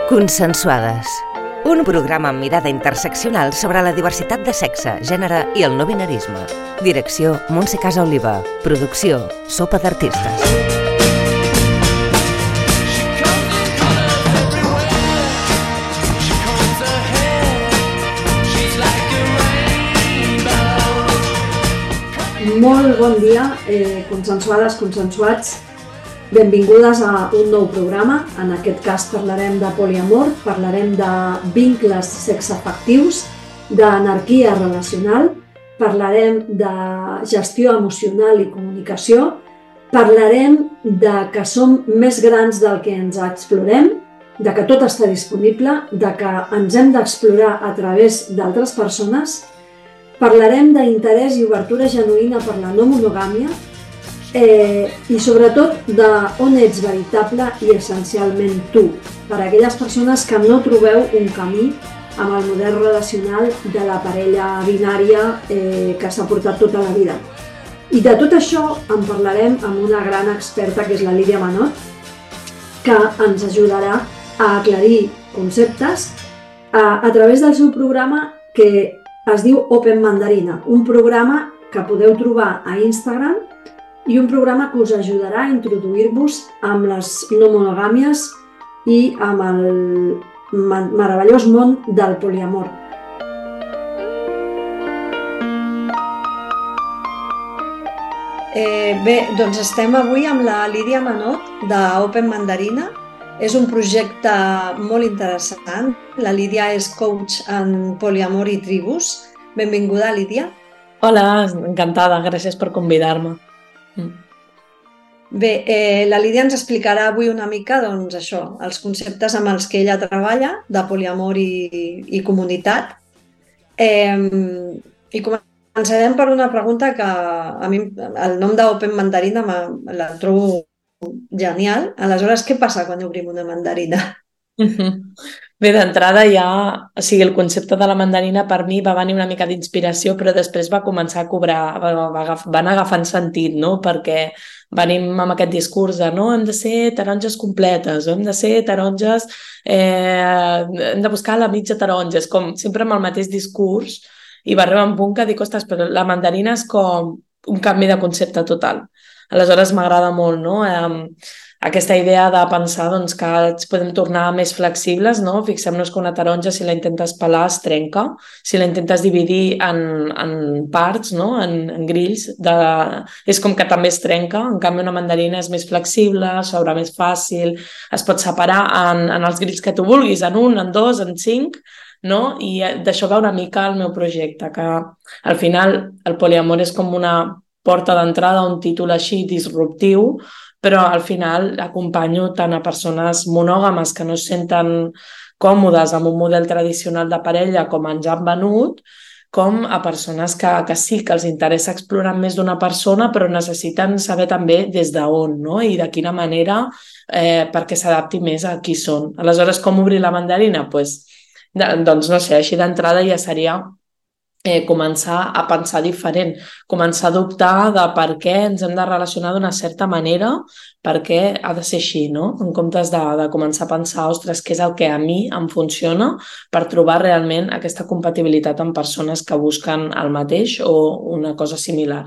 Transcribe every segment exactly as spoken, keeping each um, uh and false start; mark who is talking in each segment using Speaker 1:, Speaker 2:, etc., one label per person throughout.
Speaker 1: Consensuades. Un programa amb mirada interseccional sobre la diversitat de sexe, gènere i el no binarisme. Direcció Montse Casaoliva. Producció Sopa d'Artistes.
Speaker 2: Molt bon dia, eh, consensuades, consensuats. Benvingudes a un nou programa. En aquest cas parlarem de poliamor, parlarem de vincles sexoafectius, d'anarquia relacional, parlarem de gestió emocional i comunicació, parlarem de que som més grans del que ens explorem, de que tot està disponible, de que ens hem d'explorar a través d'altres persones, parlarem d'interès i obertura genuïna per la no monogàmia, Eh, i sobretot d'on ets veritable i essencialment tu, per a aquelles persones que no trobeu un camí amb el model relacional de la parella binària eh, que s'ha portat tota la vida. I de tot això en parlarem amb una gran experta que és la Lídia Manot, que ens ajudarà a aclarir conceptes a, a través del seu programa que es diu Open Mandarina, un programa que podeu trobar a Instagram i un programa que us ajudarà a introduir-vos amb les no monogàmies i amb el meravellós món del poliamor. Eh, bé, doncs estem avui amb la Lídia Manot d'Open Mandarina. És un projecte molt interessant. La Lídia és coach en poliamor i tribus. Benvinguda, Lídia.
Speaker 3: Hola, encantada. Gràcies per convidar-me.
Speaker 2: Bé, eh, la Lídia ens explicarà avui una mica doncs, això, els conceptes amb els que ella treballa, de poliamor i, i comunitat. Eh, I començarem per una pregunta que a mi el nom d'Open Mandarina la trobo genial. Aleshores, què passa quan obrim una mandarina?
Speaker 3: Bé, d'entrada ja, o sigui, el concepte de la mandarina per mi va venir una mica d'inspiració, però després va començar a cobrar, van agafant sentit, no? Perquè venim amb aquest discurs de no, hem de ser taronges completes, o hem de ser taronges, eh, hem de buscar la mitja taronja, és com sempre amb el mateix discurs, i va arribar un punt que dic, ostres, però la mandarina és com un canvi de concepte total. Aleshores m'agrada molt, no? Eh, aquesta idea de pensar doncs, que ens podem tornar més flexibles, no? Fixem-nos que una taronja, si la intentes pelar, es trenca. Si la intentes dividir en, en parts, no? en, en grills, de... és com que també es trenca. En canvi, una mandarina és més flexible, s'obre més fàcil, es pot separar en, en els grills que tu vulguis, en un, en dos, en cinc, no? I d'això va una mica el meu projecte, que al final el poliamor és com una porta d'entrada, un títol així disruptiu, però al final acompanyo tant a persones monògames que no es senten còmodes amb un model tradicional de parella com ens han venut, com a persones que, que sí que els interessa explorar més d'una persona, però necessiten saber també des d'on, no? I de quina manera, eh, perquè s'adapti més a qui són. Aleshores, com obrir la mandarina? Pues, doncs no sé, així d'entrada ja seria Eh, començar a pensar diferent, començar a dubtar de per què ens hem de relacionar d'una certa manera, per què ha de ser així, no? En comptes de, de començar a pensar, ostres, què és el que a mi em funciona per trobar realment aquesta compatibilitat amb persones que busquen el mateix o una cosa similar.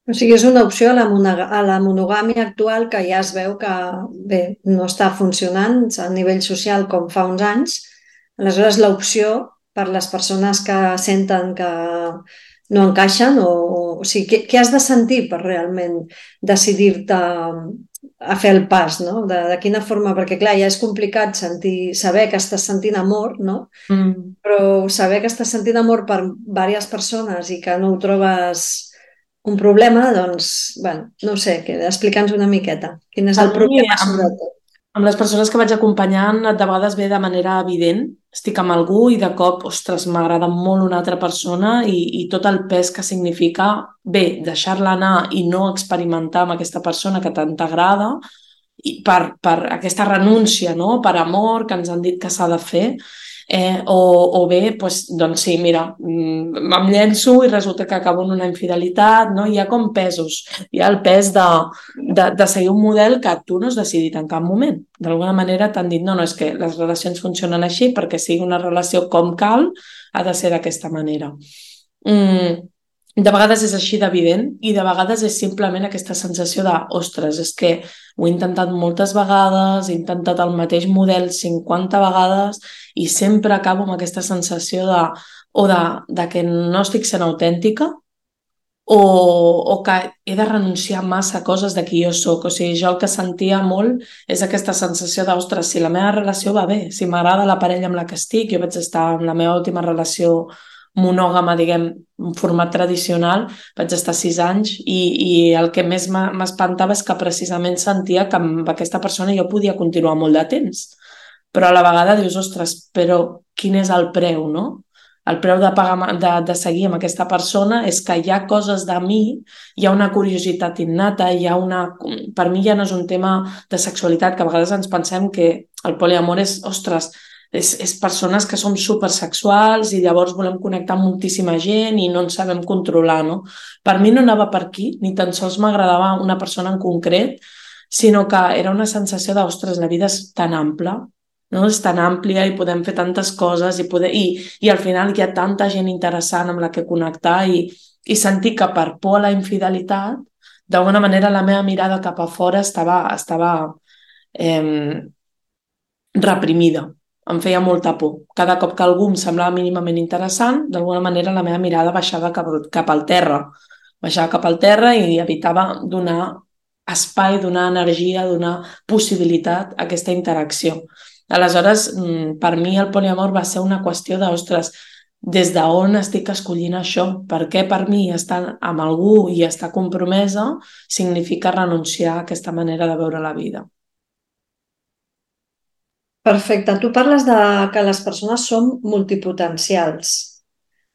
Speaker 2: O sigui, és una opció a la, a la monogàmia actual que ja es veu que bé, no està funcionant a nivell social com fa uns anys. Aleshores, l'opció per les persones que senten que no encaixen o, o sigui, què, què has de sentir per realment decidir-te a fer el pas, no? De, de quina forma, perquè clar, ja és complicat sentir, saber que estàs sentint amor, no? Mm. Però saber que estàs sentint amor per diverses persones i que no ho trobes un problema, doncs, bueno, no ho sé, explica'ns una miqueta. Quin és el problema, sobretot?
Speaker 3: Amb les persones que vaig acompanyant, de vegades ve de manera evident. Estic amb algú i de cop, ostres, m'agrada molt una altra persona i, i tot el pes que significa, bé, deixar-la anar i no experimentar amb aquesta persona que tant t'agrada, i per, per aquesta renúncia, no? Per amor, que ens han dit que s'ha de fer. Eh, o, o bé, doncs, doncs sí, mira, mm, em llenço i resulta que acabo en una infidelitat, no? Hi ha com pesos, hi ha el pes de, de, de seguir un model que tu no has decidit en cap moment. D'alguna manera t'han dit, no, no, és que les relacions funcionen així perquè sigui una relació com cal, ha de ser d'aquesta manera. Mm, de vegades és així d'evident i de vegades és simplement aquesta sensació de, ostres, és que ho he intentat moltes vegades, he intentat el mateix model cinquanta vegades i sempre acabo amb aquesta sensació de, o de, de que no estic sent autèntica o, o que he de renunciar massa a coses de qui jo sóc. O sigui, jo el que sentia molt és aquesta sensació de, ostres, si la meva relació va bé, si m'agrada la parella amb la que estic, jo vaig estar en la meva última relació monògama, diguem, en format tradicional, vaig estar sis anys i, i el que més m'espantava és que precisament sentia que amb aquesta persona jo podia continuar molt de temps. Però a la vegada dius, ostres, però quin és el preu, no? El preu de, pagar, de, de seguir amb aquesta persona és que hi ha coses de mi, hi ha una curiositat innata, hi ha una... Per mi ja no és un tema de sexualitat, que a vegades ens pensem que el poliamor és, ostres, és, és persones que som supersexuals i llavors volem connectar amb moltíssima gent i no ens sabem controlar, no? Per mi no anava per aquí, ni tan sols m'agradava una persona en concret, sinó que era una sensació de, ostres, la vida és tan ampla, no? És tan àmplia i podem fer tantes coses i, poder, i, i al final hi ha tanta gent interessant amb la que connectar i, i sentir que per por a la infidelitat, d'alguna manera la meva mirada cap a fora estava, estava eh, reprimida. Em feia molta por. Cada cop que algú em semblava mínimament interessant, d'alguna manera la meva mirada baixava cap, cap al terra. Baixava cap al terra i evitava donar espai, donar energia, donar possibilitat a aquesta interacció. Aleshores, per mi el poliamor va ser una qüestió de, ostres, des d'on estic escollint això? Per què per mi estar amb algú i estar compromesa significa renunciar a aquesta manera de veure la vida?
Speaker 2: Perfecte. Tu parles de que les persones són multipotencials.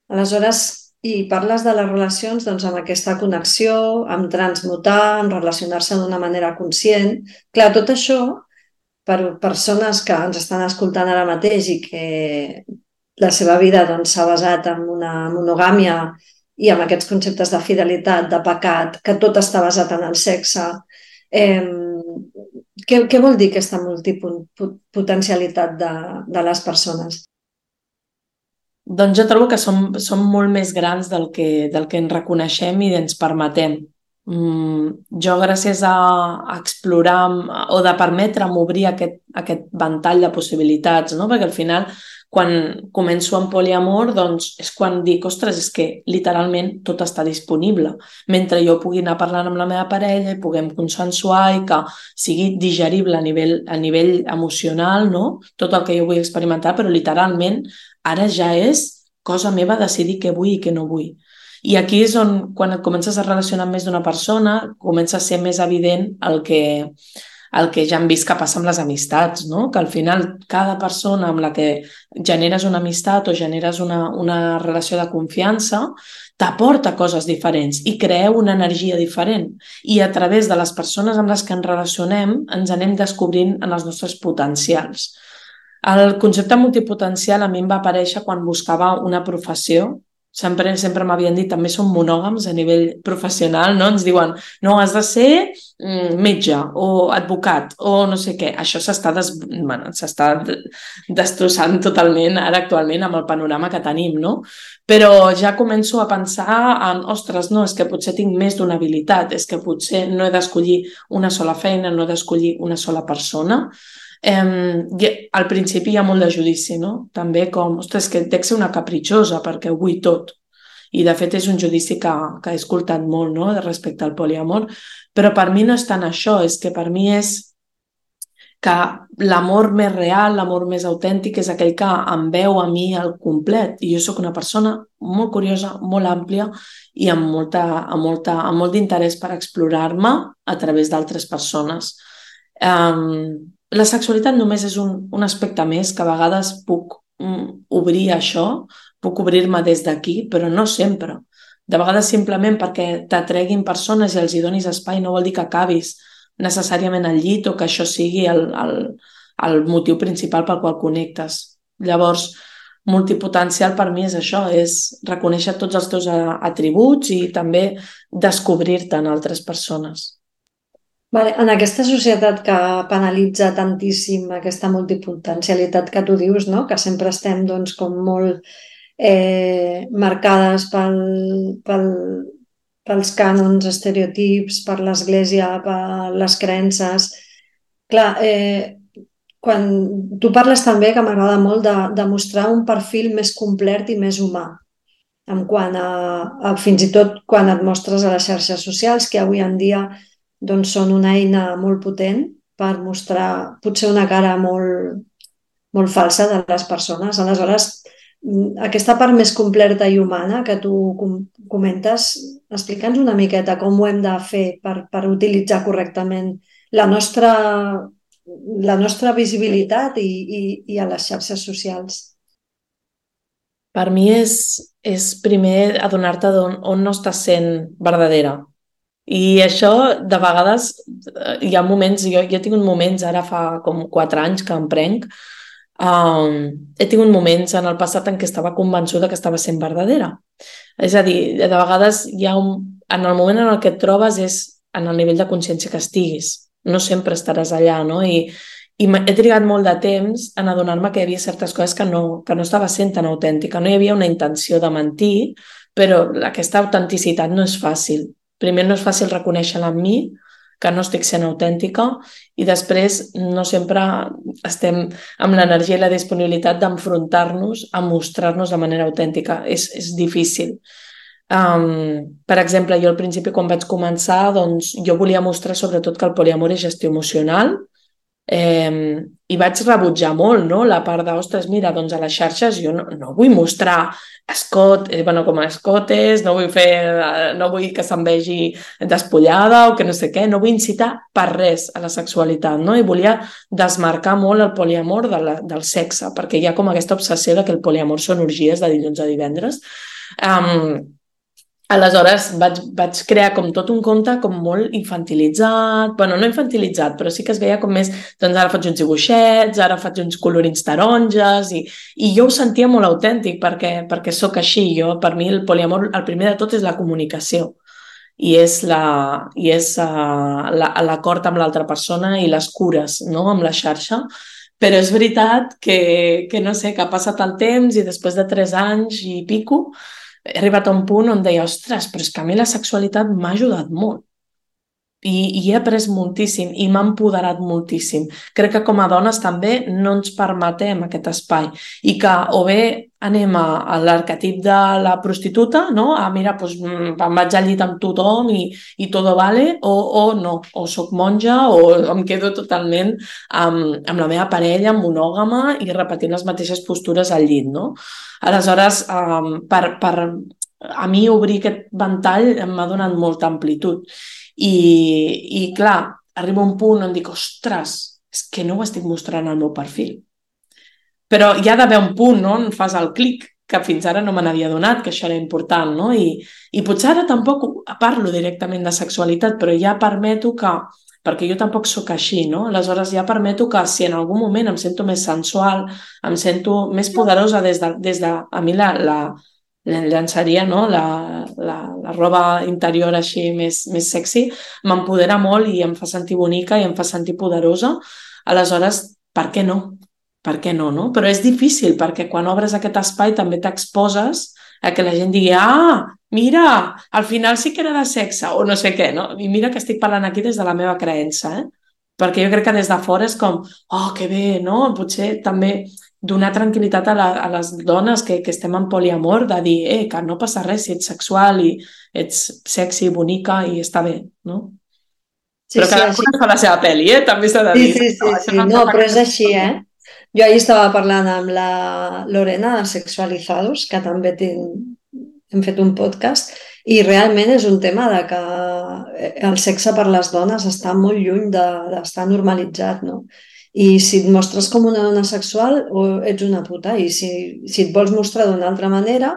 Speaker 2: Aleshores, i parles de les relacions doncs, amb aquesta connexió, amb transmutar, amb relacionar-se d'una manera conscient. Clar, tot això, per persones que ens estan escoltant ara mateix i que la seva vida doncs, s'ha basat en una monogàmia i amb aquests conceptes de fidelitat, de pecat, que tot està basat en el sexe, eh, Què, què vol dir aquesta multipotencialitat de, de les persones?
Speaker 3: Doncs jo trobo que som, som molt més grans del que, del que ens reconeixem i ens permetem. Mm, jo, gràcies a, a explorar o de permetre'm obrir aquest, aquest ventall de possibilitats, no? Perquè al final, quan començo amb poliamor, doncs és quan dic, ostres, és que literalment tot està disponible. Mentre jo pugui anar parlant amb la meva parella i puguem consensuar i que sigui digerible a nivell, a nivell emocional, no? Tot el que jo vull experimentar, però literalment ara ja és cosa meva decidir què vull i què no vull. I aquí és on, quan et comences a relacionar amb més d'una persona, comença a ser més evident el que... el que ja hem vist que passa amb les amistats, no? Que al final cada persona amb la que generes una amistat o generes una, una relació de confiança t'aporta coses diferents i crea una energia diferent. I a través de les persones amb les que ens relacionem ens anem descobrint en els nostres potencials. El concepte multipotencial a mi em va aparèixer quan buscava una professió. Sempre, sempre m'havien dit, també som monògams a nivell professional, no? Ens diuen, no, has de ser metge o advocat o no sé què. Això s'està des... bueno, s'està destrossant totalment ara actualment amb el panorama que tenim, no? Però ja començo a pensar en, ostres, no, és que potser tinc més d'una habilitat, és que potser no he d'escollir una sola feina, no he d'escollir una sola persona. Eh, al principi hi ha molt de judici, no? També com, ostres, que dec ser una capritxosa perquè ho vull tot. I de fet és un judici que, que he escoltat molt, no? Respecte al poliamor, però per mi no és tant això, és que per mi és que l'amor més real, l'amor més autèntic és aquell que em veu a mi al complet. I jo sóc una persona molt curiosa, molt àmplia i amb, molta, amb, molta, amb molt d'interès per explorar-me a través d'altres persones. Um, La sexualitat només és un, un aspecte més que a vegades puc mm, obrir això, puc obrir-me des d'aquí, però no sempre. De vegades simplement perquè t'atreguin persones i els hi donis espai no vol dir que acabis necessàriament al llit o que això sigui el, el, el motiu principal pel qual connectes. Llavors, multipotencial per mi és això, és reconèixer tots els teus atributs i també descobrir-te en altres persones.
Speaker 2: Vale, en aquesta societat que penalitza tantíssim aquesta multipotencialitat que tu dius, no? Que sempre estem doncs, com molt eh, marcades pel, pel, pels cànons, estereotips, per l'església, per les creences. Clar, eh, quan tu parles també, que m'agrada molt, de, de mostrar un perfil més complet i més humà, en quant a, a fins i tot quan et mostres a les xarxes socials, que avui en dia doncs, són una eina molt potent per mostrar potser una cara molt, molt falsa de les persones. Aleshores, aquesta part més completa i humana que tu comentes, explica'ns una miqueta com ho hem de fer per, per utilitzar correctament la nostra, la nostra visibilitat i, i, i a les xarxes socials.
Speaker 3: Per mi és, és primer adonar-te on, on no estàs sent verdadera. I això, de vegades, hi ha moments, jo, jo he tingut moments, ara fa com quatre anys que em prenc, um, he tingut moments en el passat en què estava convençuda que estava sent verdadera. És a dir, de vegades hi ha un, en el moment en el que et trobes és en el nivell de consciència que estiguis. No sempre estaràs allà, no? I, i he trigat molt de temps en adonar-me que hi havia certes coses que no, que no estava sent tan autèntica. No hi havia una intenció de mentir, però aquesta autenticitat no és fàcil. Primer no és fàcil reconèixer-la en mi, que no estic sent autèntica, i després no sempre estem amb l'energia i la disponibilitat d'enfrontar-nos a mostrar-nos de manera autèntica. És, és difícil. Um, per exemple, jo al principi quan vaig començar, doncs, jo volia mostrar sobretot que el poliamor és gestió emocional, eh, i vaig rebutjar molt, no? La part de, ostres, mira, doncs a les xarxes jo no, no vull mostrar escot, eh, bueno, com a escotes, no vull fer, no vull que se'n vegi despullada o que no sé què, no vull incitar per res a la sexualitat, no? I volia desmarcar molt el poliamor de la, del sexe, perquè hi ha com aquesta obsessió de que el poliamor són orgies de dilluns a divendres. Um, Aleshores vaig, vaig crear com tot un conte com molt infantilitzat, bueno, no infantilitzat, però sí que es veia com més, doncs ara faig uns dibuixets, ara faig uns colorins taronges, i, i jo ho sentia molt autèntic perquè, perquè sóc així. Jo, per mi el poliamor, el primer de tot és la comunicació i és la, i és, uh, la, l'acord amb l'altra persona i les cures, no?, amb la xarxa. Però és veritat que, que no sé, que ha passat el temps i després de tres anys i pico he arribat a un punt on deia, ostres, però és que a mi la sexualitat m'ha ajudat molt. I, i he après moltíssim i m'ha empoderat moltíssim. Crec que com a dones també no ens permetem aquest espai i que o bé anem a, a l'arquetip de la prostituta, no? Ah, mira, doncs em vaig al llit amb tothom i, i tot vale, o, o no, o soc monja o em quedo totalment amb, amb la meva parella, monògama, i repetint les mateixes postures al llit, no? Aleshores, um, per, per a mi obrir aquest ventall m'ha donat molta amplitud. I, i clar, arriba un punt on dic, ostres, és que no ho estic mostrant al meu perfil. Però hi ha d'haver un punt, no?, on fas el clic, que fins ara no me n'havia donat, que això era important, no? I, i potser ara tampoc parlo directament de sexualitat, però ja permeto que, perquè jo tampoc sóc així, no? Aleshores ja permeto que si en algun moment em sento més sensual, em sento més poderosa des de, des de a mi la, la, la llançaria, no? la, la, la roba interior així més, més sexy, m'empodera molt i em fa sentir bonica i em fa sentir poderosa. Aleshores, per què no? Per què no, no? Però és difícil perquè quan obres aquest espai també t'exposes a que la gent digui, ah, mira, al final sí que era de sexe o no sé què, no? I mira que estic parlant aquí des de la meva creença, eh? Perquè jo crec que des de fora és com, oh, que bé, no? Potser també donar tranquil·litat a, la, a les dones que, que estem en poliamor, de dir, eh, que no passa res si ets sexual i ets sexy, bonica i està bé, no? Sí, però cada sí, una fa la seva pel·li, eh? També s'ha de dir.
Speaker 2: Sí, sí, sí, sí. No, no, però és així, eh? Jo ahir estava parlant amb la Lorena de Sexualizados, que també ten, hem fet un podcast, i realment és un tema de que el sexe per les dones està molt lluny d'estar de, normalitzat, no? I si et mostres com una dona sexual, o ets una puta, i si, si et vols mostrar d'una altra manera,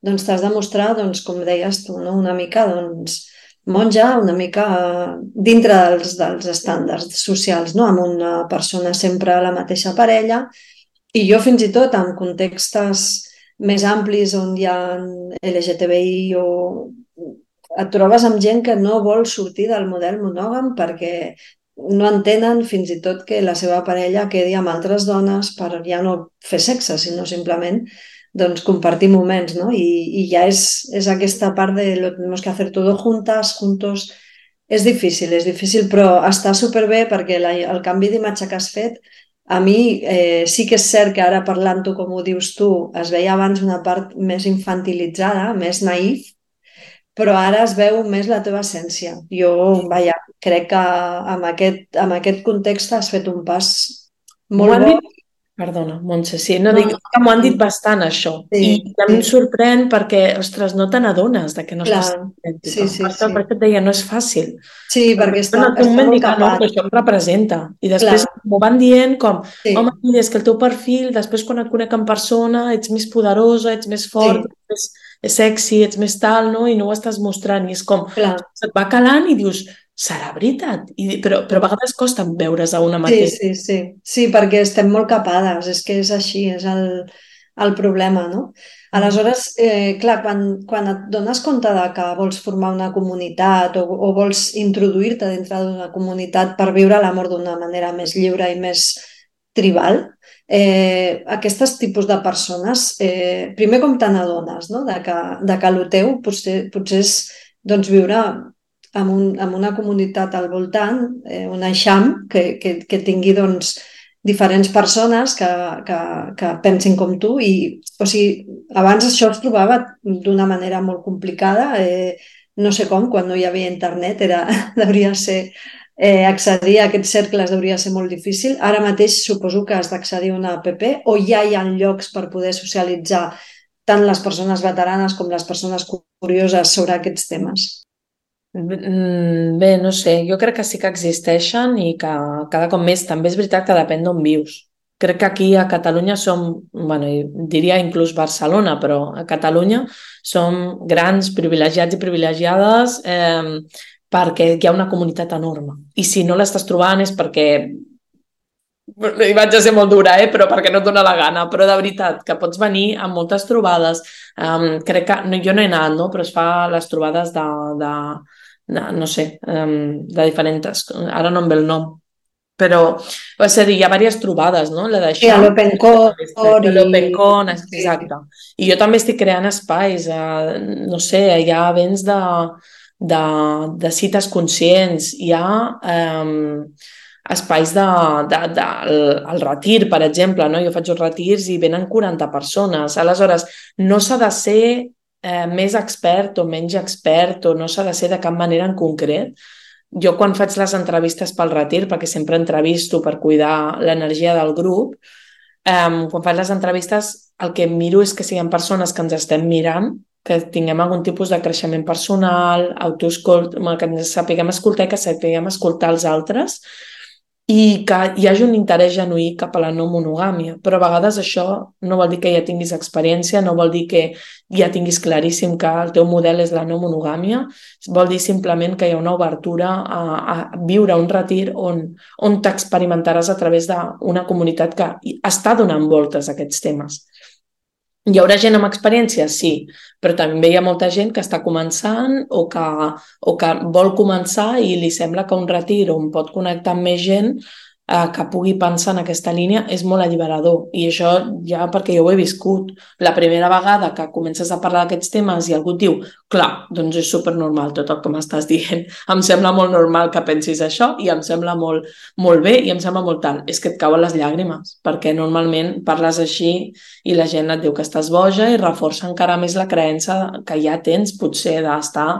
Speaker 2: doncs t'has de mostrar, doncs, com deies tu, no? Una mica, doncs, monja, una mica dintre dels, dels estàndards socials, no? Amb una persona sempre a la mateixa parella I jo fins i tot en contextes més amplis on hi ha L G T B I o et trobes amb gent que no vol sortir del model monògam perquè no entenen fins i tot que la seva parella quedi amb altres dones per ja no fer sexe, sinó simplement doncs, compartir moments, no? I, i ja és, és aquesta part de lo tenemos que hacer todo juntas, juntos. És difícil, és difícil, però està superbé perquè la, el canvi d'imatge que has fet, a mi eh, sí que és cert que ara parlant-ho com ho dius tu, es veia abans una part més infantilitzada, més naïf, però ara es veu més la teva essència. Jo, vaja, crec que amb aquest, amb aquest context has fet un pas
Speaker 3: M'ho
Speaker 2: molt
Speaker 3: han
Speaker 2: bo.
Speaker 3: dit, perdona, Montse, sí, no,
Speaker 2: No,
Speaker 3: dic que m'ho han dit bastant, això.
Speaker 2: sí,
Speaker 3: I a mi em
Speaker 2: sí,
Speaker 3: sorprèn perquè, ostres, no te n'adones de que no estàs
Speaker 2: clar,
Speaker 3: idèntica.
Speaker 2: sí, sí,
Speaker 3: Per això,
Speaker 2: sí.
Speaker 3: per això et deia, no és fàcil.
Speaker 2: Sí, perquè
Speaker 3: Perquè
Speaker 2: està,
Speaker 3: en aquell
Speaker 2: està
Speaker 3: moment
Speaker 2: molt
Speaker 3: dic, ah, no,
Speaker 2: tapat.
Speaker 3: que això em representa. I
Speaker 2: Clar,
Speaker 3: després m'ho van dient com,
Speaker 2: sí,
Speaker 3: home, mira, és que el teu perfil, després quan et conec en persona, ets més poderosa, ets més fort,
Speaker 2: sí,
Speaker 3: ets més sexy, ets més tal, no? I no ho estàs mostrant. I és com,
Speaker 2: clar.
Speaker 3: se't va calant i dius, serà veritat? I, però, però a vegades costa veure's a una
Speaker 2: Sí,
Speaker 3: mateixa.
Speaker 2: sí, sí. Sí, perquè estem molt capades, és que és així, és el, el problema, no? Aleshores, eh, clar, quan, quan et dones compte de que vols formar una comunitat o, o vols introduir-te dintre d'una comunitat per viure l'amor d'una manera més lliure i més tribal, eh, aquests tipus de persones, eh, primer com te n'adones, no? De que, de que el teu potser, potser és doncs, viure amb, un, amb una comunitat al voltant, eh, un eixam que, que, que tingui doncs, diferents persones que, que, que pensin com tu i, o sigui, abans això es trobava d'una manera molt complicada, eh, no sé com, quan no hi havia internet, era, devia ser, eh, accedir a aquests cercles hauria ser molt difícil. Ara mateix suposo que has d'accedir a una app o ja hi ha llocs per poder socialitzar tant les persones veteranes com les persones curioses sobre aquests temes.
Speaker 3: Bé, no sé, jo crec que sí que existeixen i que cada cop més també és veritat que depèn d'on vius. Crec que aquí a Catalunya som, bueno, diria inclús Barcelona, però a Catalunya som grans privilegiats i privilegiades eh, perquè hi ha una comunitat enorme. I si no l'estàs trobant és perquè, i vaig a ser molt dura, eh? Però perquè no et dóna la gana, però de veritat, que pots venir amb moltes trobades. Um, crec que, no, jo no he anat, no? Però es fa les trobades de, de, de no sé, um, de diferents, ara no em ve el nom, però, és a dir, hi ha diverses trobades, no? La
Speaker 2: Sí, a
Speaker 3: d'això,
Speaker 2: l'Open Core
Speaker 3: l'Open
Speaker 2: i...
Speaker 3: Con,
Speaker 2: Sí,
Speaker 3: exacte. I jo també estic creant espais, eh, no sé, hi ha events de, de, de cites conscients, hi ha eh, espais de, de, de, el, el retir, per exemple, no? Jo faig uns retirs i venen quaranta persones. Aleshores, no s'ha de ser eh, més expert o menys expert o no s'ha de ser de cap manera en concret. Jo quan faig les entrevistes pel retir, perquè sempre entrevisto per cuidar l'energia del grup, eh, quan faig les entrevistes el que miro és que siguin persones que ens estem mirant, que tinguem algun tipus de creixement personal, autoescolt, que ens sapiguem escoltar i que sapiguem escoltar els altres i que hi hagi un interès genuí cap a la no monogàmia. Però a vegades això no vol dir que ja tinguis experiència, no vol dir que ja tinguis claríssim que el teu model és la no monogàmia, vol dir simplement que hi ha una obertura a, a viure un retir on, on t'experimentaràs a través d'una comunitat que està donant voltes a aquests temes. Hi haurà gent amb experiència? Sí, però també hi ha molta gent que està començant o que, o que vol començar i li sembla que un retir on pot connectar amb més gent eh, que pugui pensar en aquesta línia és molt alliberador. I això ja perquè jo ho he viscut. La primera vegada que comences a parlar d'aquests temes i algú et diu, clar, doncs és supernormal tot el que m'estàs dient. Em sembla molt normal que pensis això i em sembla molt, molt bé i em sembla molt tant. És que et cauen les llàgrimes, perquè normalment parles així i la gent et diu que estàs boja i reforça encara més la creença que ja tens potser d'estar,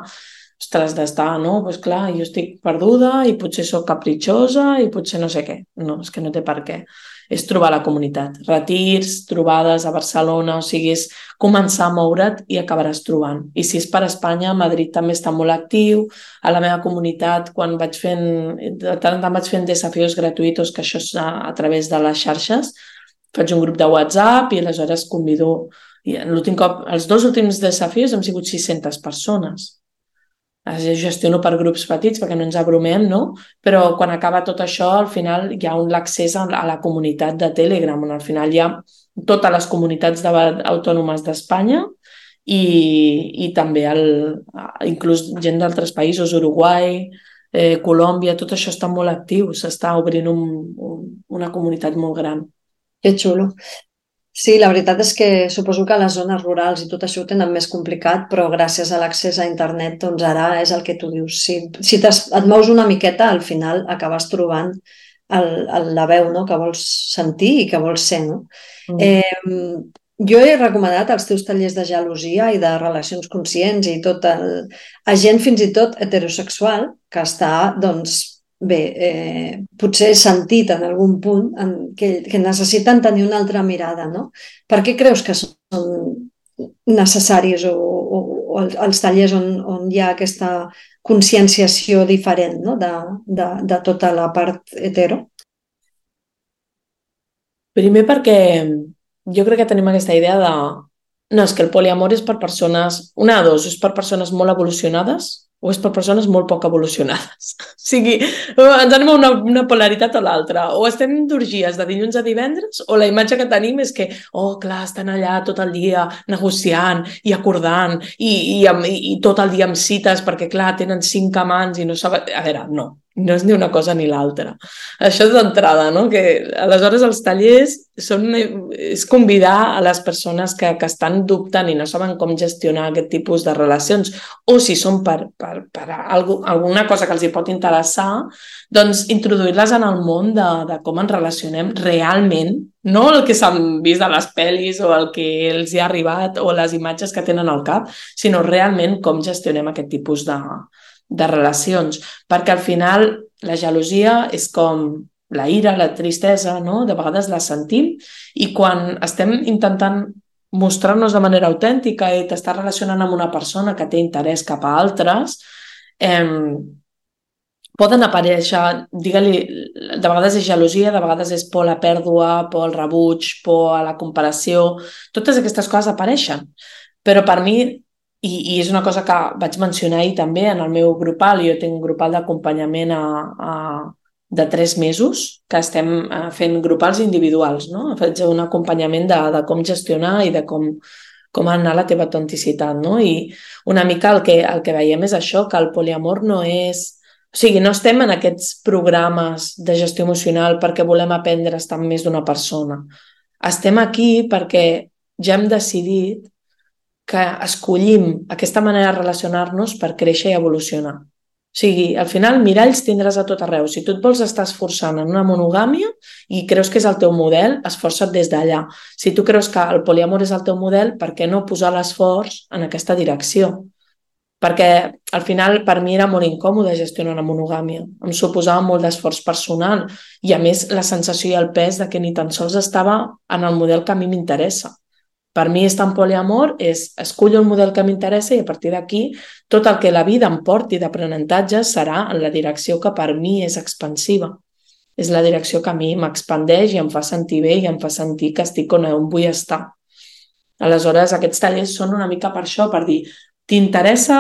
Speaker 3: ostres, d'estar, no? Doncs clar, jo estic perduda i potser sóc capritxosa i potser no sé què. No, és que no té per què. És trobar la comunitat. Retirs, trobades a Barcelona, o sigui, és començar a moure't i acabaràs trobant. I si és per Espanya, Madrid també està molt actiu. A la meva comunitat, quan vaig fent, de tant en tant vaig fent desafios gratuïts, que això és a, a través de les xarxes, faig un grup de WhatsApp i aleshores convido... I l'últim cop, els dos últims desafios hem sigut sis-centes persones. gestiono per grups petits perquè no ens abrumem, no? Però quan acaba tot això, al final hi ha un l'accés a la comunitat de Telegram, on al final hi ha totes les comunitats de, autònomes d'Espanya i, i també el, inclús gent d'altres països, Uruguai, eh, Colòmbia, tot això està molt actiu, s'està obrint un, un, una comunitat molt gran.
Speaker 2: Que xulo. Sí, la veritat és que suposo que les zones rurals i tot això ho tenen més complicat, però gràcies a l'accés a internet, doncs ara és el que tu dius. Si, si et mous una miqueta, al final acabes trobant el, el, la veu, no?, que vols sentir i que vols ser, no? Mm. Eh, jo he recomanat els teus tallers de gelosia i de relacions conscients i tot el, a gent fins i tot heterosexual que està, doncs, bé, eh, potser sentit en algun punt en que, que necessiten tenir una altra mirada, no? Per què creus que són necessaris o, o, o els tallers on, on hi ha aquesta conscienciació diferent, no?, de, de, de tota la part hetero?
Speaker 3: Primer perquè jo crec que tenim aquesta idea de... No, és que el poliamor és per persones... Una de dos, és per persones molt evolucionades o és per persones molt poc evolucionades. O sigui, ens anem a una, una polaritat o l'altra. O estem d'orgies de dilluns a divendres o la imatge que tenim és que, oh, clar, estan allà tot el dia negociant i acordant i, i, i, i tot el dia amb cites perquè, clar, tenen cinc amants i no saben... A veure, no. No és ni una cosa ni l'altra. Això és d'entrada, no? Que aleshores els tallers són, és convidar a les persones que, que estan dubtant i no saben com gestionar aquest tipus de relacions o si són per, per, per algo, alguna cosa que els hi pot interessar, doncs introduir-les en el món de, de com ens relacionem realment, no el que s'han vist a les pel·lis o el que els hi ha arribat o les imatges que tenen al cap, sinó realment com gestionem aquest tipus de de relacions, perquè al final la gelosia és com la ira, la tristesa, no? De vegades la sentim i quan estem intentant mostrar-nos de manera autèntica i t'estàs relacionant amb una persona que té interès cap a altres, eh, poden aparèixer, digue-li, de vegades és gelosia, de vegades és por a la pèrdua, por al rebuig, por a la comparació, totes aquestes coses apareixen, però per mi I, i és una cosa que vaig mencionar ahir també en el meu grupal. Jo tinc un grupal d'acompanyament a, a, de tres mesos que estem fent grupals individuals, no? Faig un acompanyament de, de com gestionar i de com, com anar la teva autenticitat, no? I una mica el que, el que veiem és això, que el poliamor no és... O sigui, no estem en aquests programes de gestió emocional perquè volem aprendre a estar amb més d'una persona. Estem aquí perquè ja hem decidit que escollim aquesta manera de relacionar-nos per créixer i evolucionar. O sigui, al final, miralls tindràs a tot arreu. Si tu et vols estar esforçant en una monogàmia i creus que és el teu model, esforça't des d'allà. Si tu creus que el poliamor és el teu model, per què no posar l'esforç en aquesta direcció? Perquè al final per mi era molt incòmode gestionar una monogàmia. Em suposava molt d'esforç personal i a més la sensació i el pes de que ni tan sols estava en el model que a mi m'interessa. Per mi estar en poliamor és escollo el model que m'interessa i a partir d'aquí tot el que la vida em porti d'aprenentatge serà en la direcció que per mi és expansiva. És la direcció que a mi m'expandeix i em fa sentir bé i em fa sentir que estic on vull estar. Aleshores, aquests tallers són una mica per això, per dir, t'interessa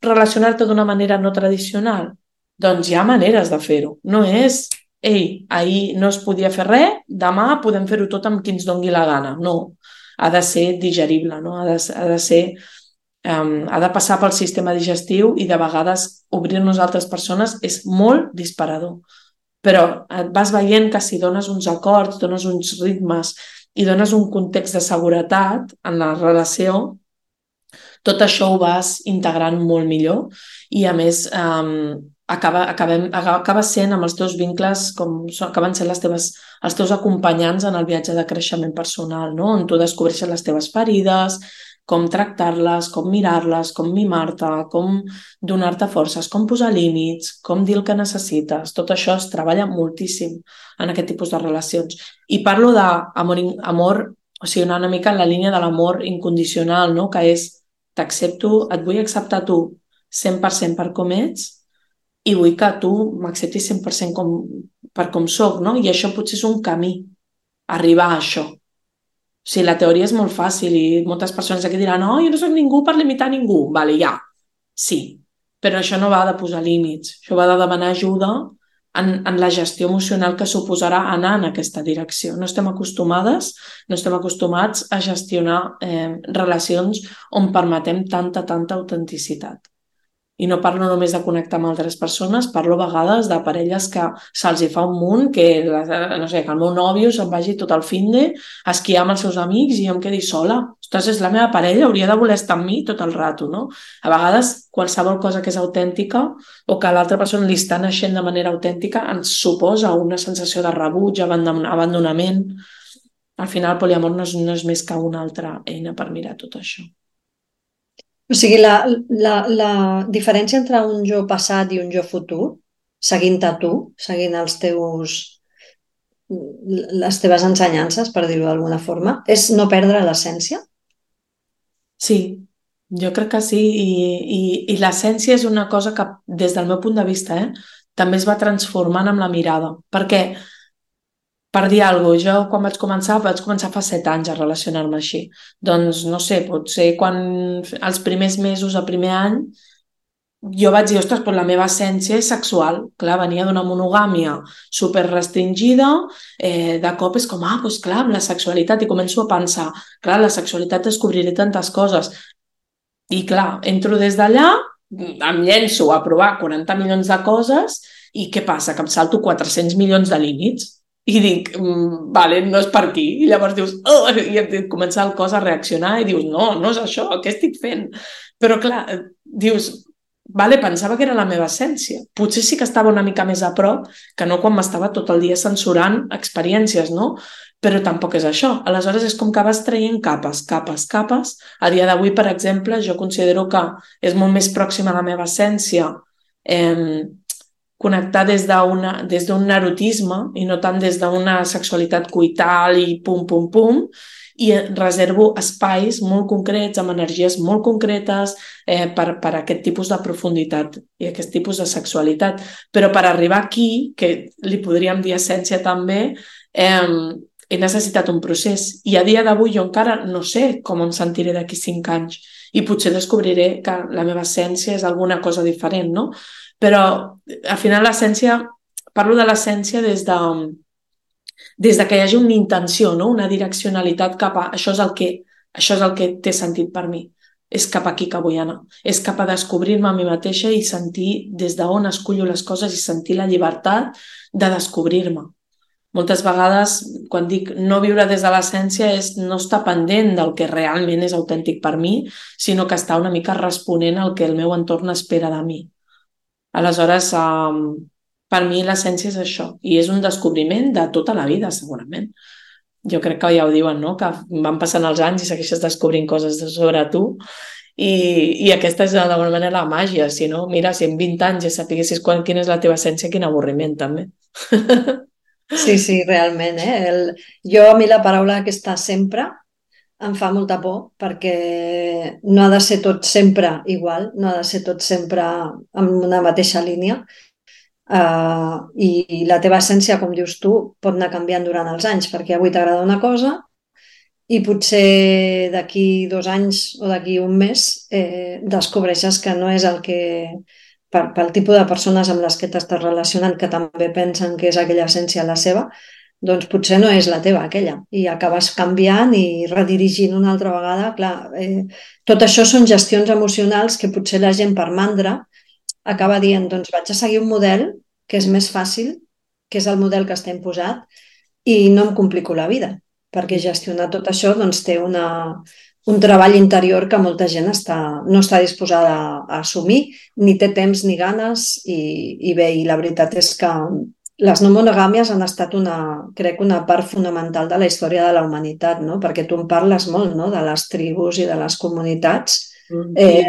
Speaker 3: relacionar-te d'una manera no tradicional? Doncs hi ha maneres de fer-ho. No és, ei, ahir no es podia fer res, demà podem fer-ho tot amb qui ens doni la gana. No. Ha de ser digerible, no? ha, de, ha de ser, um, ha de passar pel sistema digestiu i de vegades obrir-nos a altres persones és molt disparador. Però et vas veient que si dones uns acords, dones uns ritmes i dones un context de seguretat en la relació, tot això ho vas integrant molt millor i a més um, acaba, acabem, acaba sent amb els teus vincles com acaben sent les teves, els teus acompanyants en el viatge de creixement personal, no? On tu descobreixes les teves ferides, com tractar-les, com mirar-les, com mimar-te, com donar-te forces, com posar límits, com dir el que necessites. Tot això es treballa moltíssim en aquest tipus de relacions. I parlo d'amor, amor, o sigui, una mica en la línia de l'amor incondicional, no? Que és t'accepto, et vull acceptar tu cent per cent per com ets i vull que tu m'acceptis cent per cent com, per com soc, no? I això potser és un camí, arribar a això. O sigui, la teoria és molt fàcil i moltes persones aquí diran oh, jo no soc ningú per limitar ningú. Vale, ja, sí. però això no va de posar límits, això va de demanar ajuda en, en la gestió emocional que suposarà anar en aquesta direcció. No estem acostumades, no estem acostumats a gestionar eh, relacions on permetem tanta, tanta autenticitat. I no parlo només de connectar amb altres persones, parlo a vegades de parelles que se'ls hi fa un munt, que, no sé, que el meu nòvio se'n vagi tot el finde a esquiar amb els seus amics i jo em quedi sola. Ostres, és la meva parella, hauria de voler estar amb mi tot el rato, no? A vegades, qualsevol cosa que és autèntica o que a l'altra persona li està naixent de manera autèntica ens suposa una sensació de rebuig, abandonament. Al final, el poliamor no és, no és més que una altra eina per mirar tot això.
Speaker 2: O sigui, la, la, la diferència entre un jo passat i un jo futur, seguint-te tu, seguint els teus, les teves ensenyances, per dir-ho d'alguna forma, és no perdre l'essència?
Speaker 3: Sí, jo crec que sí, i, i, i l'essència és una cosa que, des del meu punt de vista, eh, també es va transformant amb la mirada, perquè, per dir alguna cosa, jo quan vaig començar, vaig començar fa set anys a relacionar-me així. Doncs, no sé, potser quan els primers mesos, el primer any, jo vaig dir, ostres, però la meva essència és sexual. Clar, venia d'una monogàmia super restringida, eh, de cop és com, ah, doncs clar, amb la sexualitat, i començo a pensar, clar, la sexualitat descobriré tantes coses. I clar, entro des d'allà, em llenço a provar quaranta milions de coses, i què passa? Que em salto quatre-cents milions de límits. I dic, mm, vale, no és per aquí. I llavors dius, oh, i et comença el cos a reaccionar i dius, no, no és això, què estic fent? Però clar, dius, vale, pensava que era la meva essència. Potser sí que estava una mica més a prop que no quan m'estava tot el dia censurant experiències, no? Però tampoc és això. Aleshores és com que vas traient capes, capes, capes. A dia d'avui, per exemple, jo considero que és molt més pròxima a la meva essència eh, connectar des d'una, des d'un erotisme i no tant des d'una sexualitat coital i pum, pum, pum, i reservo espais molt concrets, amb energies molt concretes eh, per, per aquest tipus de profunditat i aquest tipus de sexualitat. Però per arribar aquí, que li podríem dir essència també, eh, he necessitat un procés. I a dia d'avui jo encara no sé com em sentiré d'aquí cinc anys i potser descobriré que la meva essència és alguna cosa diferent, no? Però al final l'essència, parlo de l'essència des de, des de que hi hagi una intenció, no? Una direccionalitat cap a això és el que, això és el que té sentit per mi. És cap aquí que vull anar. És cap a descobrir-me a mi mateixa i sentir des d'on escullo les coses i sentir la llibertat de descobrir-me. Moltes vegades, quan dic no viure des de l'essència, és no estar pendent del que realment és autèntic per mi, sinó que estar una mica responent al que el meu entorn espera de mi. Aleshores, um, per mi l'essència és això, i és un descobriment de tota la vida, segurament. Jo crec que ja ho diuen, no? Que van passant els anys i segueixes descobrint coses sobre tu, i, i aquesta és d'alguna manera la màgia. Si no, mira, si en vint anys ja sapiguessis quan, quina és la teva essència, quin avorriment, també.
Speaker 2: Sí, sí, realment. Eh? El... Jo, a mi la paraula aquesta sempre em fa molta por, perquè no ha de ser tot sempre igual, no ha de ser tot sempre en una mateixa línia. Uh, i, i la teva essència, com dius tu, pot anar canviant durant els anys, perquè avui t'agrada una cosa i potser d'aquí dos anys o d'aquí un mes eh, descobreixes que no és el que, per, pel tipus de persones amb les que t'estàs relacionant, que també pensen que és aquella essència la seva, doncs potser no és la teva aquella, i acabes canviant i redirigint una altra vegada. Clar, eh, tot això són gestions emocionals que potser la gent per mandra acaba dient, doncs vaig a seguir un model que és més fàcil, que és el model que està imposat, i no em complico la vida, perquè gestionar tot això doncs, té una, un treball interior que molta gent està, no està disposada a, a assumir, ni té temps ni ganes, i, i bé, i la veritat és que les no monogàmies han estat una, crec, una part fonamental de la història de la humanitat, no? Perquè tu en parles molt, no? De les tribus i de les comunitats. Eh,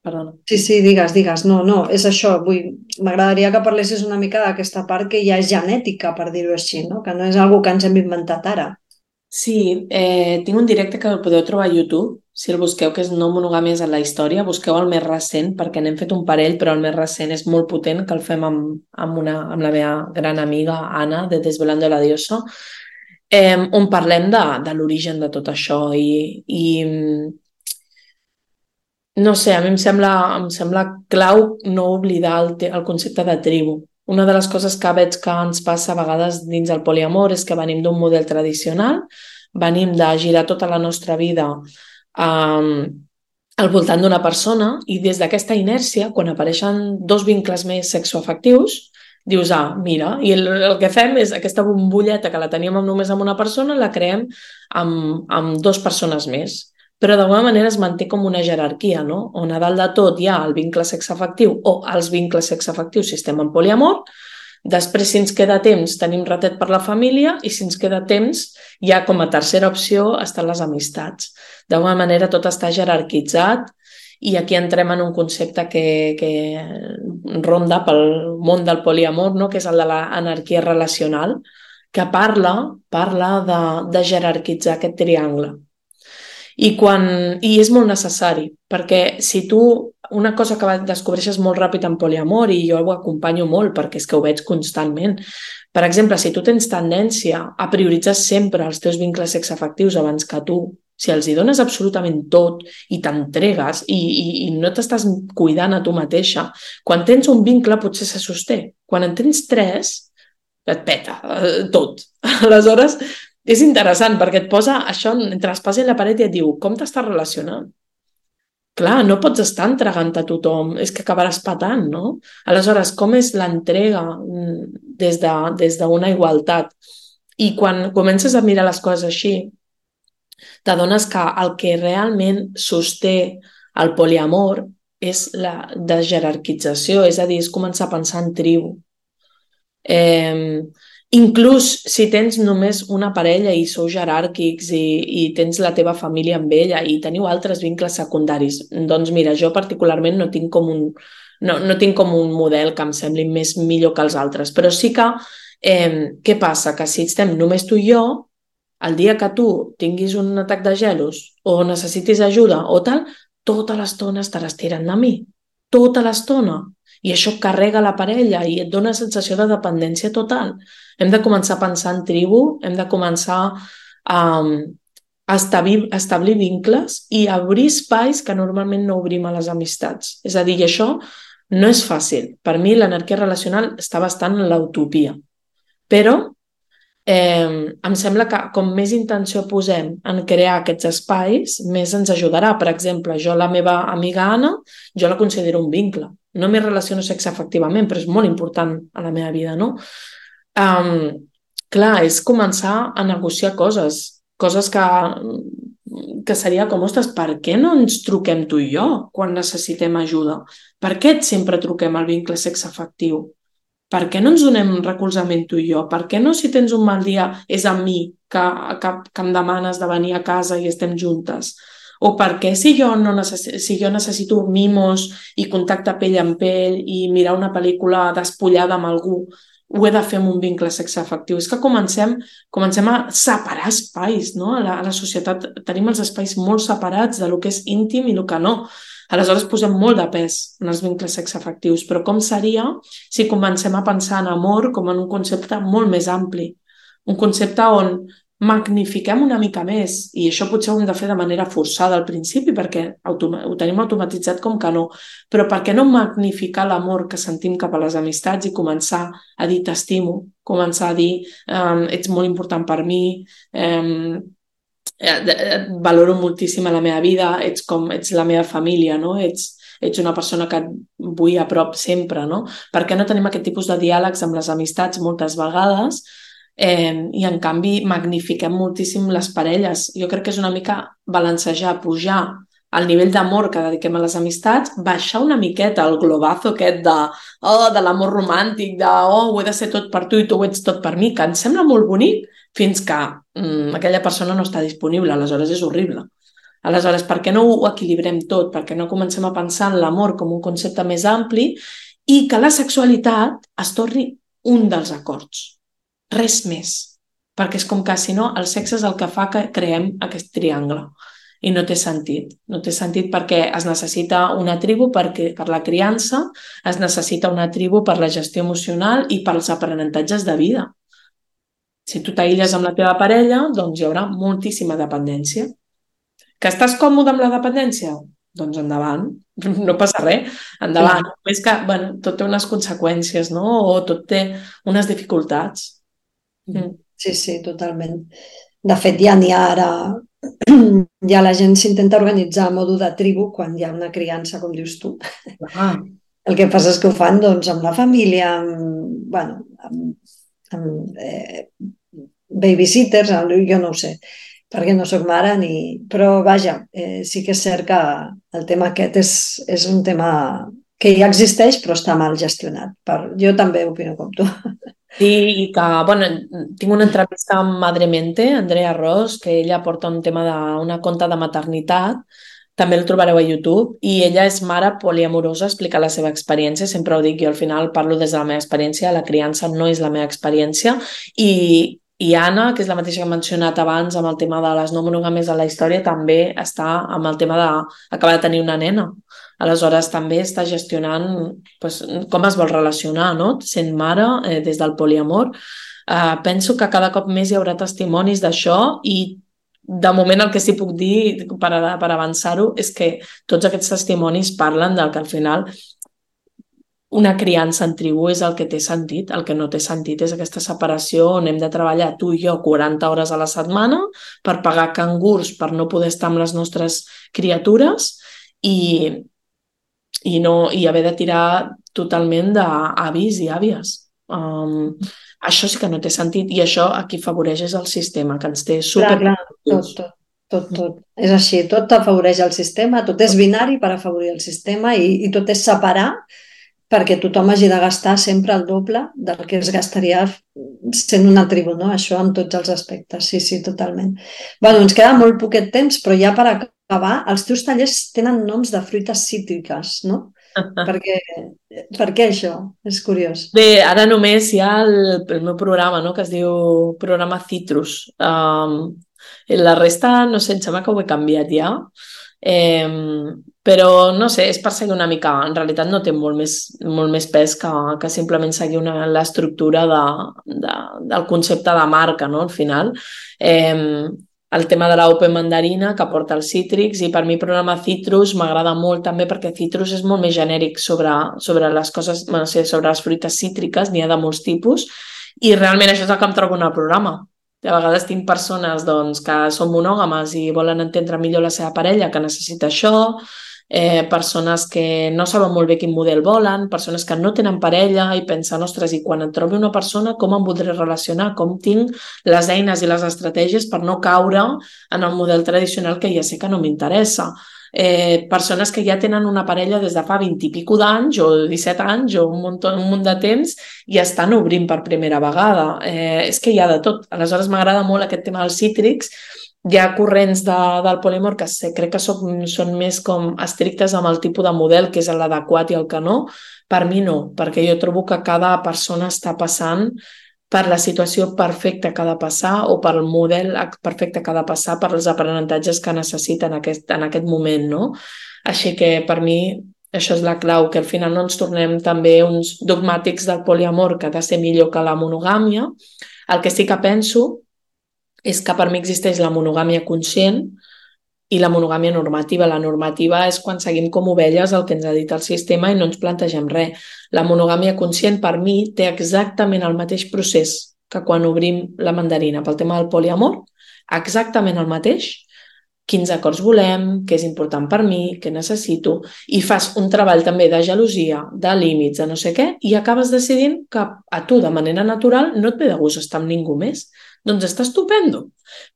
Speaker 3: Perdona.
Speaker 2: sí, sí, digues, digues. No, no, és això. Vull... M'agradaria que parlessis una mica d'aquesta part que ja és genètica, per dir-ho així, no? Que no és una que ens hem inventat ara.
Speaker 3: Sí, eh, tinc un directe que el podeu trobar a YouTube, si el busqueu, que és No monogàmies en la història. Busqueu el més recent, perquè n'hem fet un parell, però el més recent és molt potent, que el fem amb, amb, una, amb la meva gran amiga Anna, de Desvelando la Diosa, eh, on parlem de, de l'origen de tot això. I, i No sé, a mi em sembla, em sembla clau no oblidar el, te- el concepte de tribu. Una de les coses que veig que ens passa a vegades dins el poliamor és que venim d'un model tradicional, venim de girar tota la nostra vida um, al voltant d'una persona i des d'aquesta inèrcia, quan apareixen dos vincles més sexoafectius, dius, ah, mira, i el, el que fem és aquesta bombolleta que la teníem només amb una persona, la creem amb, amb dues persones més. Però d'alguna manera es manté com una jerarquia, no? On a dalt de tot hi ha el vincle sexoafectiu o els vincles sexoafectius si estem en poliamor. Després, si ens queda temps, tenim ratet per la família i si ens queda temps, ja com a tercera opció estan les amistats. D'alguna manera tot està jerarquitzat i aquí entrem en un concepte que, que ronda pel món del poliamor, no? Que és el de l'anarquia relacional, que parla, parla de, de jerarquitzar aquest triangle. I, quan, I és molt necessari, perquè si tu, una cosa que descobreixes molt ràpid en poliamor, i jo ho acompanyo molt perquè és que ho veig constantment, per exemple, si tu tens tendència a prioritzar sempre els teus vincles sexoafectius abans que tu, si els hi dones absolutament tot i t'entregues i, i, i no t'estàs cuidant a tu mateixa, quan tens un vincle potser se sosté. Quan en tens tres, et peta eh, tot. Aleshores, és interessant perquè et posa això entre l'espasa i la paret i et diu com t'estàs relacionant? Clar, no pots estar entregant a tothom, és que acabaràs patant, no? Aleshores, com és l'entrega des de, des d'una igualtat? I quan comences a mirar les coses així, t'adones que el que realment sosté el poliamor és la desjerarquització, és a dir, és començar a pensar en tribu. Eh, inclús si tens només una parella i sou jeràrquics i, i tens la teva família amb ella i teniu altres vincles secundaris, doncs mira, jo particularment no tinc com un, no, no tinc com un model que em sembli més millor que els altres, però sí que eh, què passa? Que si estem només tu i jo, el dia que tu tinguis un atac de gelos o necessitis ajuda o tal, tota l'estona estaràs tirant de mi, tota l'estona. I això carrega la parella i et dona sensació de dependència total. Hem de començar a pensar en tribu, hem de començar a, a establir, a establir vincles i a obrir espais que normalment no obrim a les amistats. És a dir, i això no és fàcil. Per mi l'anarquia relacional està bastant en l'utopia. Però eh, em sembla que com més intenció posem en crear aquests espais, més ens ajudarà. Per exemple, jo la meva amiga Anna, jo la considero un vincle. No m'hi relaciono sexoafectivament, però és molt important a la meva vida, no? Um, clar, és començar a negociar coses, coses que, que seria com, ostres, per què no ens truquem tu i jo quan necessitem ajuda? Per què sempre truquem al vincle sexoafectiu? Per què no ens donem recolzament tu i jo? Per què no, si tens un mal dia, és amb mi que, que, que em demanes de venir a casa i estem juntes? O per què si jo, no necess... si jo necessito mimos i contacte pell amb pell i mirar una pel·lícula despullada amb algú, ho he de fer amb un vincle sexoafectiu? És que comencem, comencem a separar espais, no? A la, a la societat tenim els espais molt separats de lo que és íntim i el que no. Aleshores posem molt de pes en els vincles sexoafectius, però com seria si comencem a pensar en amor com en un concepte molt més ampli? Un concepte on magnifiquem una mica més, i això potser ho hem de fer de manera forçada al principi perquè ho tenim automatitzat com que no, però per què no magnificar l'amor que sentim cap a les amistats i començar a dir t'estimo, començar a dir um, ets molt important per mi, um, valoro moltíssim a la meva vida, ets com ets la meva família, no? Ets, ets una persona que et vull a prop sempre, no? Per què no tenim aquest tipus de diàlegs amb les amistats moltes vegades? Eh, i en canvi magnifiquem moltíssim les parelles. Jo crec que és una mica balancejar, pujar el nivell d'amor que dediquem a les amistats, baixar una miqueta el globazo aquest de, oh, de l'amor romàntic, de oh, ho he de ser tot per tu i tu ho ets tot per mi, que em sembla molt bonic fins que mm, aquella persona no està disponible, aleshores és horrible. Aleshores, per què no ho equilibrem tot? Per què no comencem a pensar en l'amor com un concepte més ampli i que la sexualitat es torni un dels acords? Res més, perquè és com que si no el sexe és el que fa que creem aquest triangle i no té sentit, no té sentit perquè es necessita una tribu perquè, per la criança, es necessita una tribu per la gestió emocional i pels aprenentatges de vida. Si tu t'aïlles amb la teva parella, doncs hi haurà moltíssima dependència. Que estàs còmode amb la dependència? doncs endavant, no passa res, endavant. Només que, bueno, tot té unes conseqüències, no? O tot té unes dificultats. Mm.
Speaker 2: Sí, sí, totalment. De fet, ja n'hi ha ara... Ja la gent s'intenta organitzar a modo de tribu quan hi ha una criança, com dius tu.
Speaker 3: Ah.
Speaker 2: El que passa és que ho fan doncs, amb la família, amb, bueno, amb, amb eh, babysitters, jo no ho sé, perquè no sóc mare, ni... però vaja, eh, sí que és cert que el tema aquest és, és un tema que ja existeix però està mal gestionat. Per... Jo també opino com tu.
Speaker 3: Sí, i que, bueno, tinc una entrevista amb Madremente, Andrea Ros, que ella porta un tema d'una conta de maternitat, també el trobareu a YouTube, i ella és mare poliamorosa, explica la seva experiència, sempre ho dic, jo al final parlo des de la meva experiència, la criança no és la meva experiència, i, i Anna, que és la mateixa que he mencionat abans amb el tema de les no monogàmies de la història, també està amb el tema d'acabar de tenir una nena. Aleshores, també està gestionant doncs, com es vol relacionar, no? Sent mare, eh, des del poliamor. Eh, penso que cada cop més hi haurà testimonis d'això i de moment el que sí puc dir per, per avançar-ho és que tots aquests testimonis parlen del que al final una criança en tribu és el que té sentit. El que no té sentit és aquesta separació on hem de treballar tu i jo quaranta hores a la setmana per pagar cangurs, per no poder estar amb les nostres criatures i i, no, i haver de tirar totalment d'avis i àvies. Um, això sí que no té sentit i això a qui afavoreix és el sistema, que ens té super...
Speaker 2: Clar, clar, tot, tot, tot, tot. És així, tot afavoreix el sistema, tot és binari per afavorir el sistema i, i tot és separar perquè tothom hagi de gastar sempre el doble del que es gastaria sent una tribu, no? Això en tots els aspectes, sí, sí, totalment. Bueno, ens queda molt poquet temps, però ja per acabar, els teus tallers tenen noms de fruites cítriques, no? Per què, per què això? És curiós.
Speaker 3: Bé, ara només hi ha el, el meu programa, no?, que es diu programa Citrus. Um, la resta, no sé, em sembla que ho he canviat ja. Eh, però, no sé, és per seguir una mica... En realitat no té molt més, molt més pes que, que simplement seguir una, l'estructura de, de, del concepte de marca, no?, al final. Eh, el tema de l'Open Mandarina que porta els cítrics i per mi el programa Citrus m'agrada molt també perquè Citrus és molt més genèric sobre, sobre les coses, no sé, sobre les fruites cítriques, n'hi ha de molts tipus i realment això és el que em trobo en el programa. A vegades tinc persones doncs, que són monògames i volen entendre millor la seva parella que necessita això, eh, persones que no saben molt bé quin model volen, persones que no tenen parella i pensen, ostres, i quan em trobi una persona com em voldré relacionar, com tinc les eines i les estratègies per no caure en el model tradicional que ja sé que no m'interessa. Eh, persones que ja tenen una parella des de fa vint i pico d'anys o disset anys o un munt, un munt de temps i estan obrint per primera vegada. Eh, és que hi ha de tot. Aleshores m'agrada molt aquest tema dels cítrics. Hi ha corrents de, del poliamor que sé, crec que són, són més com estrictes amb el tipus de model que és l'adequat i el que no. Per mi no, perquè jo trobo que cada persona està passant per la situació perfecta que ha de passar o per el model perfecte que ha de passar per els aprenentatges que necessita en aquest, en aquest moment, no? Així que per mi això és la clau, que al final no ens tornem també uns dogmàtics del poliamor que ha de ser millor que la monogàmia. El que sí que penso és que per mi existeix la monogàmia conscient i la monogàmia normativa. La normativa és quan seguim com ovelles el que ens ha dit el sistema i no ens plantegem res. La monogàmia conscient per mi té exactament el mateix procés que quan obrim la mandarina pel tema del poliamor, exactament el mateix, quins acords volem, què és important per mi, què necessito, i fas un treball també de gelosia, de límits, de no sé què, i acabes decidint que a tu de manera natural no et ve de gust estar amb ningú més. Doncs està estupendo.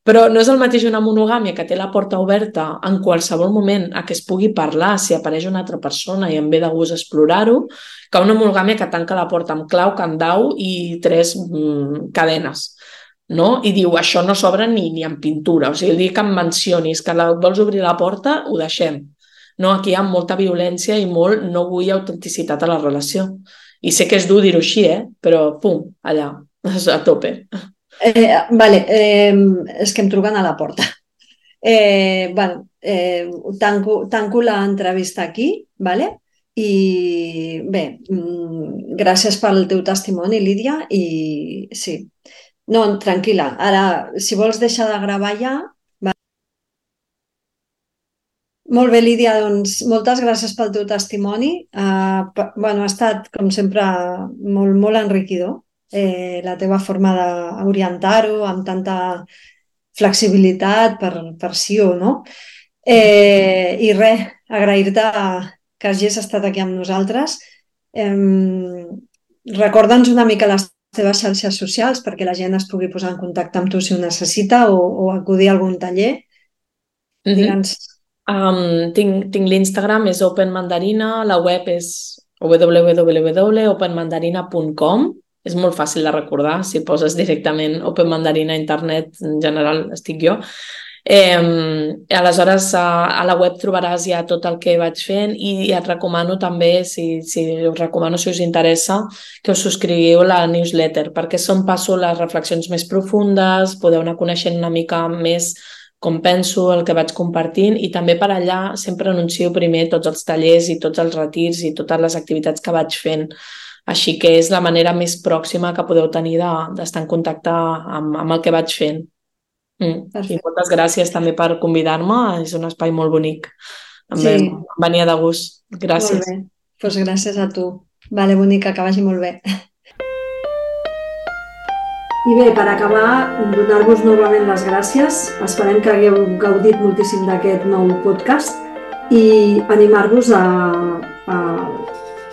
Speaker 3: Però no és el mateix una monogàmia que té la porta oberta en qualsevol moment a què es pugui parlar si apareix una altra persona i em ve de gust explorar-ho, que una monogàmia que tanca la porta amb clau, candau i tres mm, cadenes. No? I diu, això no s'obre ni, ni en pintura. O sigui, el dia que em mencionis que la, vols obrir la porta, ho deixem. No, aquí hi ha molta violència i molt no vull autenticitat a la relació. I sé que és dur dir-ho així, eh? Però pum, allà, a tope.
Speaker 2: Eh, vale, eh, és que em truquen a la porta. Eh, bueno, eh, tanco, tanco l'entrevista aquí, vale? I bé, mm, gràcies pel teu testimoni, Lídia, i sí, no, tranquil·la, ara, si vols deixar de gravar ja, va... Molt bé, Lídia, doncs moltes gràcies pel teu testimoni. Uh, bueno, ha estat, com sempre, molt, molt enriquidor eh, la teva forma d'orientar-ho amb tanta flexibilitat per, per sí o no. Eh, I res, agrair-te que hagis estat aquí amb nosaltres. Eh, Recorda'ns una mica les teves xarxes socials perquè la gent es pugui posar en contacte amb tu si ho necessita o, o acudir a algun taller.
Speaker 3: Mhm.
Speaker 2: Digue'ns.
Speaker 3: Um, tinc tinc l'Instagram, és Open Mandarina, la web és w w w punt open mandarina punt com. És molt fàcil de recordar, si poses directament Open Mandarina a internet, en general estic jo. Eh, aleshores, a, a la web trobaràs ja tot el que vaig fent i et recomano també, si, si us recomano si us interessa, que us subscriviu la newsletter, perquè són passo les reflexions més profundes, podeu anar coneixent una mica més com penso, el que vaig compartint, i també per allà sempre anuncio primer tots els tallers i tots els retirs i totes les activitats que vaig fent. Així que és la manera més pròxima que podeu tenir d'estar en contacte amb, amb el que vaig fent. Mm. I moltes gràcies també per convidar-me, és un espai molt bonic. Em sí. Venia de gust. Gràcies.
Speaker 2: Molt bé, doncs gràcies a tu. Vale, bonica, que vagi molt bé. I bé, per acabar, donar-vos novament les gràcies. Esperem que hagueu gaudit moltíssim d'aquest nou podcast i animar-vos a, a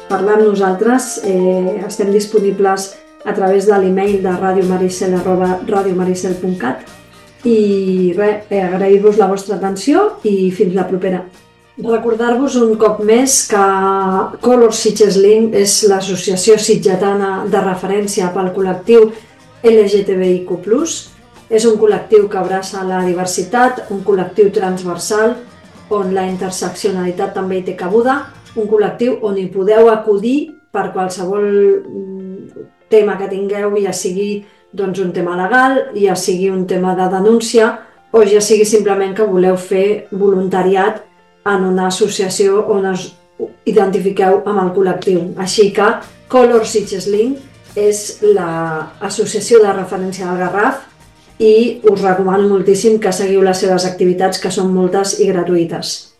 Speaker 2: parlar amb nosaltres. Eh, estem disponibles a través de l'email de radiomaricel arroba radiomaricel punt cat i res, eh, agrair-vos la vostra atenció i fins la propera. Recordar-vos un cop més que Color Sitges Link és l'associació sitgetana de referència pel col·lectiu L G T B I Q plus. És un col·lectiu que abraça la diversitat, un col·lectiu transversal on la interseccionalitat també hi té cabuda, un col·lectiu on hi podeu acudir per qualsevol tema que tingueu, ja sigui doncs, un tema legal, ja sigui un tema de denúncia o ja sigui simplement que voleu fer voluntariat en una associació on us identifiqueu amb el col·lectiu. Així que Color Sitges Link és l'associació de referència del Garraf i us recomano moltíssim que seguiu les seves activitats, que són moltes i gratuïtes.